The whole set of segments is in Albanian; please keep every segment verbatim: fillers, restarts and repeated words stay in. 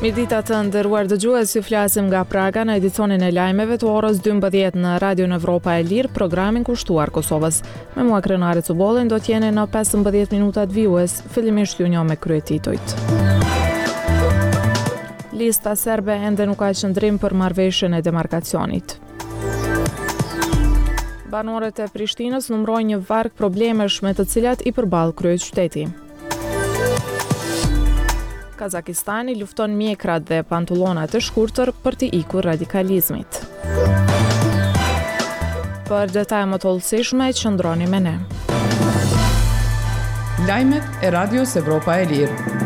Mirëdita të nderuar dëgjues, ju flasim nga Praga në edicionin e lajmeve të orës dymbëdhjetë në Radion Evropa e Lirë, programin kushtuar Kosovës. Me mua Krenare Cubollin do t'jeni në pesëmbëdhjetë minutat vijues, fillimisht ju njoh me kryetitujt. Lista serbe ende nuk ka qëndrim për marrëveshjen e demarkacionit. Banorët e Prishtinës numërojnë një varg problemesh me të cilat i përball kryeqyteti. Kazakistani lufton mjekrat dhe pantullonat e shkurtër për t'i ikur radikalizmit. Për detaje më të hollësishme, qëndroni me ne. Lajmet e Radios Evropa e Lirë.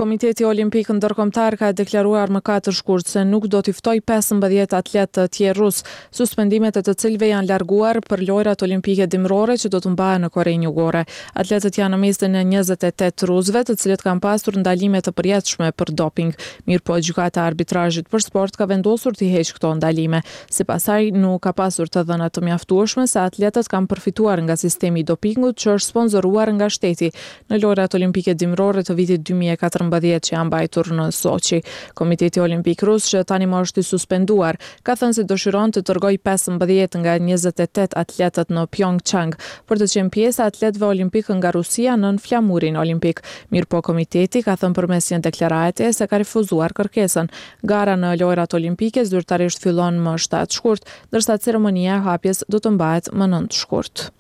Komiteti Olimpik Ndërkombëtar ka deklaruar më katër shkurt se nuk do t'i ftojë pesëmbëdhjetë atletë të tjerë rus, suspendimet e të cilëve janë larguar për Lojrat Olimpike Dimërore që do të mbahen në Korenë Jugore. Atletët janë në mesin e njëzet e tetë rusëve, të cilët kanë pasur ndalime të përjetshme për doping. Mirëpo, gjykata e arbitrazhit për sport ka vendosur t'i heqë këto ndalime. Sipas saj, nuk ka pasur të dhëna të mjaftueshme se atletët kanë përfituar nga sistemi i dopingut që është sponsoruar nga shteti në Lojrat Olimpike Dimërore të vitit dy mijë e katërmbëdhjetë që janë mbajtur në Sochi. Komiteti Olimpik Rus, që tani më është i suspenduar, ka thënë se dëshiron të dërgojë pesëmbëdhjetë nga njëzet e tetë atletët në Pyeongchang për të qenë pjesë e atletëve olimpikë nga Rusia nën flamurin olimpik. Mirëpo, komiteti ka thënë përmes një deklarate se ka refuzuar kërkesën. Gara në Lojrat Olimpike zyrtarisht fillon më shtatë shkurt, ndërsa ceremonia e hapjes do të mbahet më nëntë shkurt.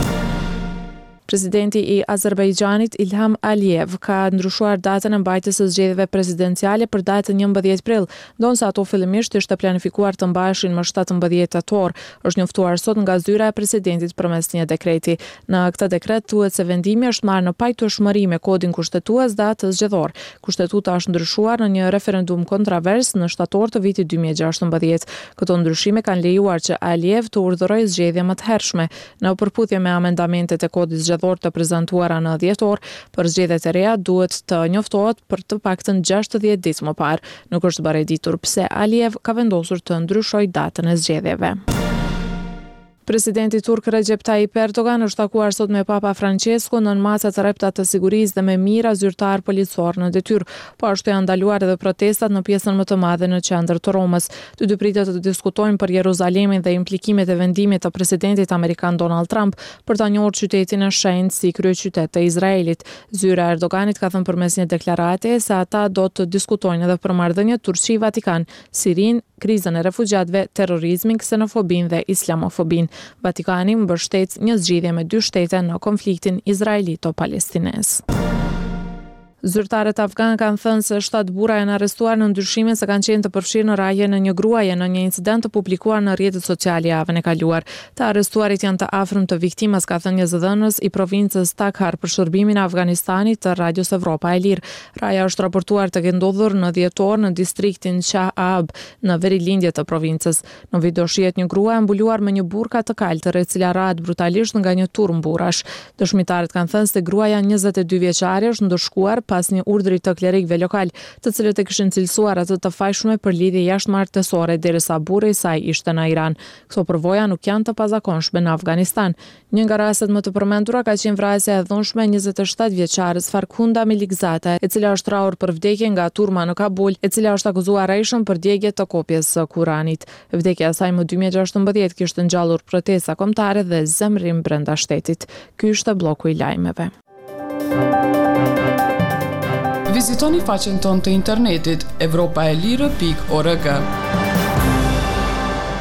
Presidenti i Azerbajxhanit Ilham Aliyev ka ndryshuar datën e mbajtjes së zgjedhjeve presidenciale për datën njëmbëdhjetë prill, ndonëse ato fillimisht ishte planifikuar të mbaheshin më shtatëmbëdhjetë tetor, është njoftuar sot nga zyra e presidentit përmes një dekreti. Në këtë dekret thuhet se vendimi është marrë në pajtueshmëri me kodin kushtetues dhe atë zgjedhor. Kushtetuta është ndryshuar në një referendum kontravers në shtator të vitit dy mijë e gjashtëmbëdhjetë. Këto ndryshime kanë lejuar që Aliyev të urdhërojë zgjedhje më të hershme, në përputhje me amendamentet e kodit zgjedhor të prezantuara në dhjetor. Për zgjedhjet e reja duhet të njoftohet për të paktën gjashtëdhjetë ditë më parë. Nuk është bërë e ditur pse Aliyev ka vendosur të ndryshojë datën e zgjedhjeve. Presidenti turk Recep Tayyip Erdogan është takuar sot me Papa Francesco nën masa të rrepta të sigurisë dhe me mijëra zyrtar policor në detyrë. Po ashtu janë ndaluar edhe protestat në pjesën më të madhe në qendër të Romës. Të dy pritet të diskutojnë për Jeruzalemin dhe implikimet e vendimit të presidentit amerikan Donald Trump për ta njohur qytetin e shenjtë si kryeqytet të Izraelit. Zyra e Erdoganit ka thënë përmes një deklarate se ata do të diskutojnë edhe për marrëdhëniet Turqi-Vatikan, Sirinë, krizën e refugjatëve, terrorizmin, ksenofobinë dhe islamofobinë. Vatikani mbështet një zgjidhje me dy shtete në konfliktin izraelito-palestinez. Zyrtarët afgan kanë thënë se shtatë burra janë arrestuar në ndryshimin se kanë qenë të përfshirë në rrahjen e një gruaje në një incident të publikuar në rrjetet sociale javën e kaluar. Të arrestuarit janë të afërm të viktimës, ka thënë një zëdhënës i provincës Takhar për shërbimin e Afganistanit të Radios Evropa e Lirë. Rrahja është raportuar të ketë ndodhur në dhjetor në distriktin Shah Aab në verilindje të provincës. Në video shihet një grua e mbuluar me një burka të kaltër, e cila rrahet brutalisht nga një turm burrash. Dëshmitarët kanë thënë se gruaja njëzet e dy vjeçare është ndëshkuar pas një urdhri të klerikëve lokal, të cilët e kishin cilësuar atë të fajshme për lidhje jashtëmartesore derisa burri i saj ishte në Iran. Këto përvoja nuk janë të pazakonshme në Afganistan. Një nga rastet më të përmendura ka qenë vrasja e dhunshme e njëzet e shtatë vjeçares Farkhunda Melikzade, e cila është rrahur për vdekje nga turma në Kabul, e cila është akuzuar rrejshëm për djegje të kopjes së Kuranit. Vdekja e saj më dy mijë e gjashtëmbëdhjetë kishte ngjallur protesta kombëtare dhe zemërim brenda shtetit. Ky ishte bloku i lajmeve. Vizitoni faqen tonë të internetit evropa e lirë pikë org.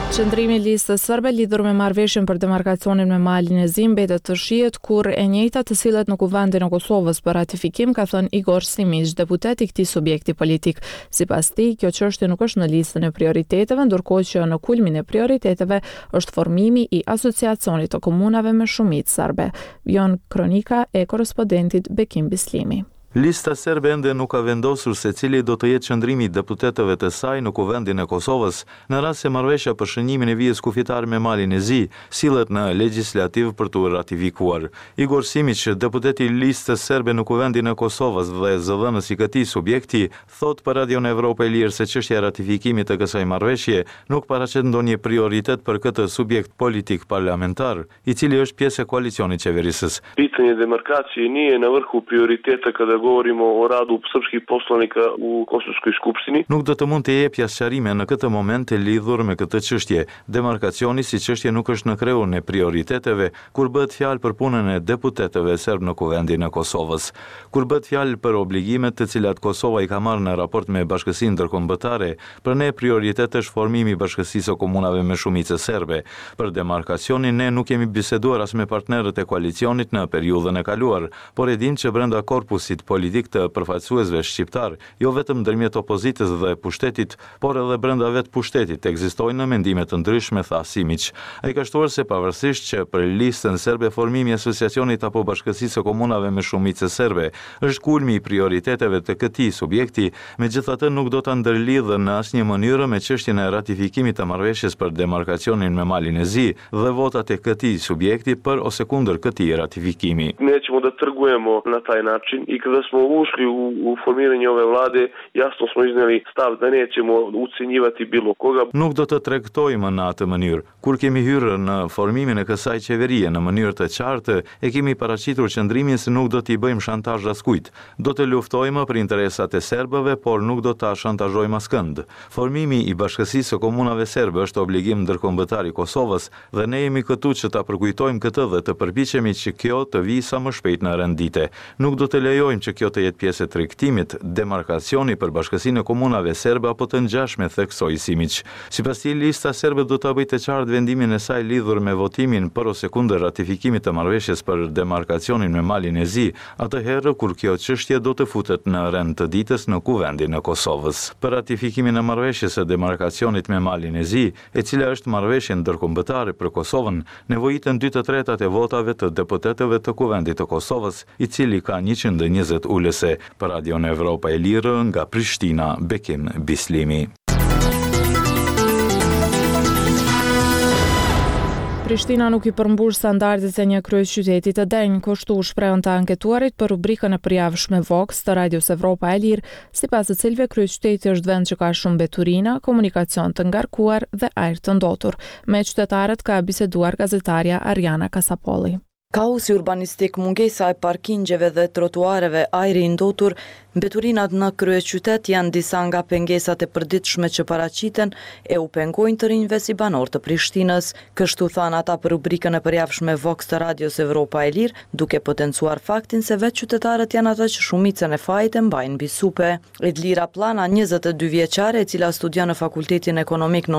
Qëndrimi i listës serbe lidhur me marrëveshjen për demarkacionin me Malin e Zi mbetet të shihet kur e njëjta të sillet në Kuvendin e Kosovës për ratifikim, ka thënë Igor Simiq, deputet i këtij subjekti politik. Sipas tij, kjo çështje nuk është në listën e prioriteteve, ndërkohë që në kulmin e prioriteteve është formimi i Asociacionit të Komunave me shumicë serbe. Vijon kronika e korrespondentit Bekim Bislimi. Lista Serbe ende nuk ka vendosur se cili do të jetë qëndrimi i deputetëve të saj në Kuvendin e Kosovës, në rast se marrëveshja për shënjimin e vijës kufitare me Malin e Zi sillet në legjislativ për t'u ratifikuar. Igor Simiq, deputet i Listës Serbe në Kuvendin e Kosovës dhe zëdhënës i këtij subjekti, thotë për Radion Evropa e Lirë se çështja e ratifikimit të kësaj marrëveshje nuk paraqet ndonjë prioritet për këtë subjekt politik parlamentar, i cili është pjesë e koalicionit qeverisës. Pitanje demarkacije nije na vrhu prioriteta kada govorimo o radu srpskih poslanika u Kosovskoj skupštini. Nuk do të mund të jepja sqarime në këtë moment lidhur me këtë çështje. Demarkacioni si çështje nuk është në kreun e prioriteteve kur bëhet fjalë për punën e deputetëve serb në Kuvendin e Kosovës. Kur bëhet fjalë për obligimet të cilat Kosova i ka marrë në raport me bashkësinë ndërkombëtare, për ne prioritet është formimi i bashkësisë së komunave me shumicë serbe. Për demarkacionin ne nuk kemi biseduar as me partnerët e koalicionit në periudhën e kaluar, por e dim që brenda korpusit politik të përfaqësuesve shqiptar, jo vetëm ndërmjet opozitës dhe pushtetit, por edhe brenda vetë pushtetit ekzistojnë mendime të ndryshme, tha Simiq. Ai ka shtuar se pavarësisht që për listën serbe formimi i asociacionit apo bashkësisë së komunave me shumicë serbe është kulmi i prioriteteve të këtij subjekti, megjithatë nuk do ta ndërlidhë në asnjë mënyrë me çështjen e ratifikimit të marrëveshjes për demarkacionin me Malin e Zi dhe votat e këtij subjekti për ose kundër këtij ratifikimi. Nećemo da trgujemo na taj način i kada smo ušli u, u formiranje ove vlade, jasno smo izneli stav da nećemo ucenjivati bilo koga. Nuk do të tregtojmë në atë mënyrë. Kur kemi hyrë në formimin e kësaj qeverie në mënyrë të qartë, e kemi paraqitur qëndrimin se nuk do t'i bëjmë shantazh askujt. Do të luftojmë për interesat e serbëve, por nuk do ta shantazhojmë askënd. Formimi i bashkësisë së komunave serbe është obligim ndërkombëtar i Kosovës dhe ne jemi këtu që ta përkujtojmë këtë dhe të përpiqemi që kjo të vijë sa më shpejt në rend dite. Nuk do të lejojmë që kjo të jetë pjesë e tregtimit, demarkacioni për bashkësinë e komunave serbe apo të ngjashme, theksoi Simiq. Sipas tij, lista serbe do ta bëjë të qartë vendimin e saj lidhur me votimin për ose kundër ratifikimit të marrëveshjes për demarkacionin me Malin e Zi, atëherë kur kjo çështje do të futet në rend të ditës në Kuvendin e Kosovës. Për ratifikimin e marrëveshjes së demarkacionit me Malin e Zi, e cila është marrëveshje ndërkombëtare për Kosovën, nevojiten dy të tretat e votave të deputetëve të Kuvendit të Kosovës, i cili ka njëqind e njëzet ulëse. Për Radion Evropa e Lirë nga Prishtina, Bekim Bislimi. Prishtina nuk i përmbush standardet e një kryeqyteti të denjë, kështu u shprehën të anketuarit për rubrikën e përjavshme Vox të Radios Evropa e Lirë, sipas të cilëve kryeqyteti është vend që ka shumë mbeturina, komunikacion të ngarkuar dhe ajër të ndotur. Me qytetarët ka biseduar gazetarja Ariana Kasapolli. Kaosi urbanistik, mungesa e parkingjeve dhe trotuareve, ajri i ndotur, mbeturinat në kryeqytet janë disa nga pengesat e përditshme që paraqiten e u pengojnë të rinjve si banorë të Prishtinës. Kështu thanë ata për rubrikën e përjavshme Vox të Radios Evropa e Lirë, duke potencuar faktin se vetë qytetarët janë ata që shumicën e fajit e mbajnë mbi supe. Edlira Plana, njëzet e dy vjeçare, e cila studion në Fakultetin Ekonomik në